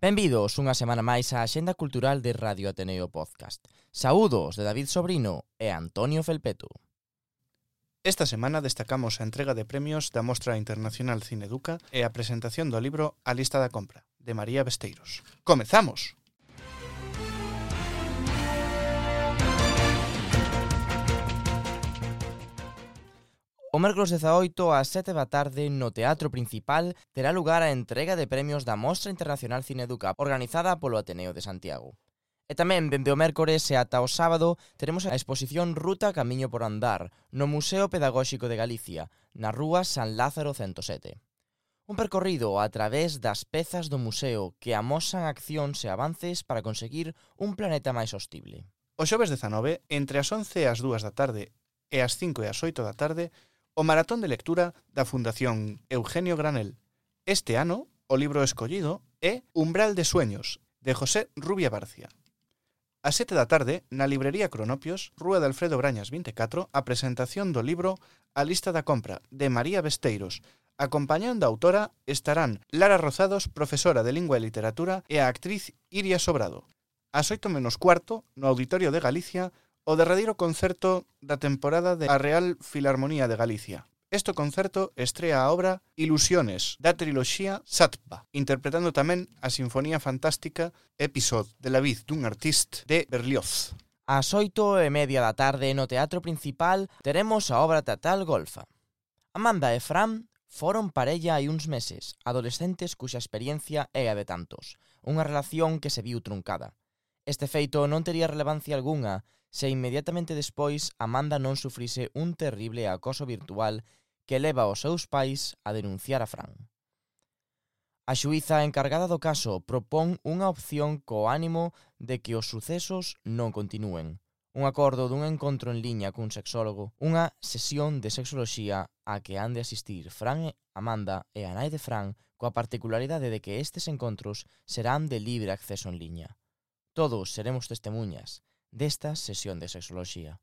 Benvidos unha semana máis á Axenda Cultural de Radio Ateneo Podcast. Saúdos de David Sobrino e Antonio Felpeto. Esta semana destacamos a entrega de premios da Mostra Internacional Cineduca e a presentación do libro A lista da compra, de María Besteiros. ¡Comezamos! O mércoles 18 ás 7 da tarde no Teatro Principal terá lugar a entrega de premios da Mostra Internacional Cineduca organizada polo Ateneo de Santiago. E tamén, dende o mércores e ata o sábado, teremos a exposición Ruta Camiño por Andar no Museo Pedagóxico de Galicia, na rúa San Lázaro 107. Un percorrido a través das pezas do museo que amosan accións e avances para conseguir un planeta máis sostible. O xoves 19, entre as 11 e as 2 da tarde e as 5 e as 8 da tarde, o maratón de lectura da Fundación Eugenio Granel. Este ano, o libro escollido é Umbral de Sueños, de José Rubia Barcia. A 7 da tarde, na librería Cronopios, Rúa de Alfredo Brañas 24, a presentación do libro A lista da compra, de María Besteiros. Acompañando a autora estarán Lara Rozados, profesora de Lingua e Literatura, e a actriz Iria Sobrado. Ás 8 menos cuarto, no Auditorio de Galicia, o derradeiro concerto da temporada da Real Filarmonía de Galicia. Este concerto estrea a obra Ilusiones, da triloxía Satba, interpretando tamén a Sinfonía Fantástica Episode de la Vida dun Artiste de Berlioz. Ás 8:30 da tarde no Teatro Principal teremos a obra teatral Golfa. Amanda e Fran foron parella hai uns meses, adolescentes cuxa experiencia é a de tantos, unha relación que se viu truncada. Este feito non tería relevancia algunha se inmediatamente despois Amanda non sufrise un terrible acoso virtual que leva aos seus pais a denunciar a Fran. A xuíza encargada do caso propón unha opción co ánimo de que os sucesos non continúen. Un acordo dun encontro en liña cun sexólogo, unha sesión de sexoloxía a que han de asistir Fran, Amanda e a nai de Fran, coa particularidade de que estes encontros serán de libre acceso en liña. Todos seremos testemunhas desta sesión de sexoloxía.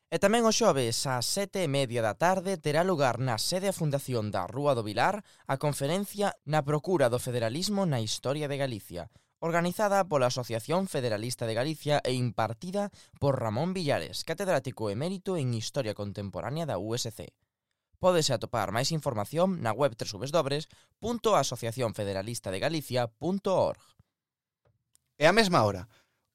E tamén o xoves, ás 7:30 da tarde, terá lugar na sede a Fundación da Rúa do Vilar a conferencia Na procura do federalismo na historia de Galicia, organizada pola Asociación Federalista de Galicia e impartida por Ramón Villares, catedrático emérito en Historia Contemporánea da USC. Pódese atopar máis información na web www.asociacionfederalistadegalicia.org. E á mesma hora,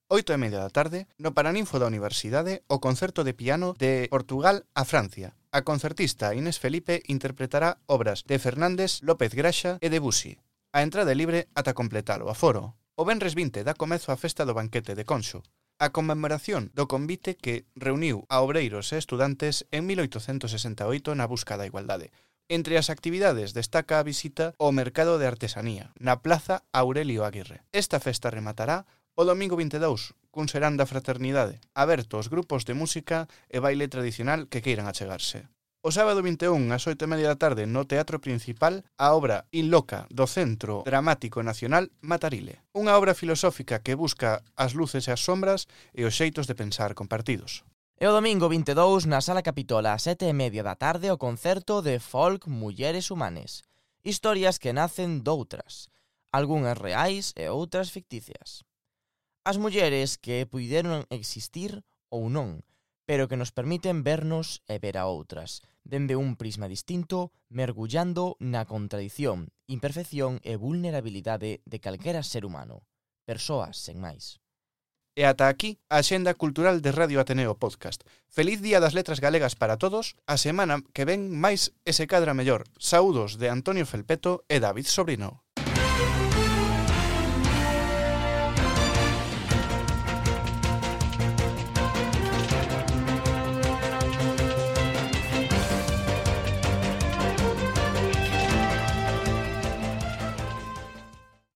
8:30 da tarde, no Paraninfo da Universidade, o concerto de piano de Portugal a Francia. A concertista Inés Felipe interpretará obras de Fernández, López Graxa e Debussy. A entrada é libre ata completar o aforo. O venres 20 dá comezo a festa do banquete de Conxo, a conmemoración do convite que reuniu a obreiros e estudantes en 1868 na busca da igualdade. Entre as actividades destaca a visita ao Mercado de Artesanía, na Plaza Aurelio Aguirre. Esta festa rematará o domingo 22, cun serán da fraternidade, aberto aos grupos de música e baile tradicional que queiran achegarse. O sábado 21, ás 8:30 da tarde, no Teatro Principal, a obra In Loca, do Centro Dramático Nacional Matarile. Unha obra filosófica que busca as luces e as sombras e os xeitos de pensar compartidos. E o domingo 22, na Sala Capitola, ás 7:30 da tarde, o concerto de folk Mulleres Humanes. Historias que nacen doutras, algunhas reais e outras ficticias. As mulleres que puideron existir ou non, pero que nos permiten vernos e ver a outras, dende un prisma distinto, mergullando na contradición, imperfección e vulnerabilidade de calquera ser humano. Persoas sen máis. E ata aquí a Axenda Cultural de Radio Ateneo Podcast. Feliz Día das Letras Galegas para todos. A semana que ven máis e se cadra mellor. Saúdos de Antonio Felpeto e David Sobrino.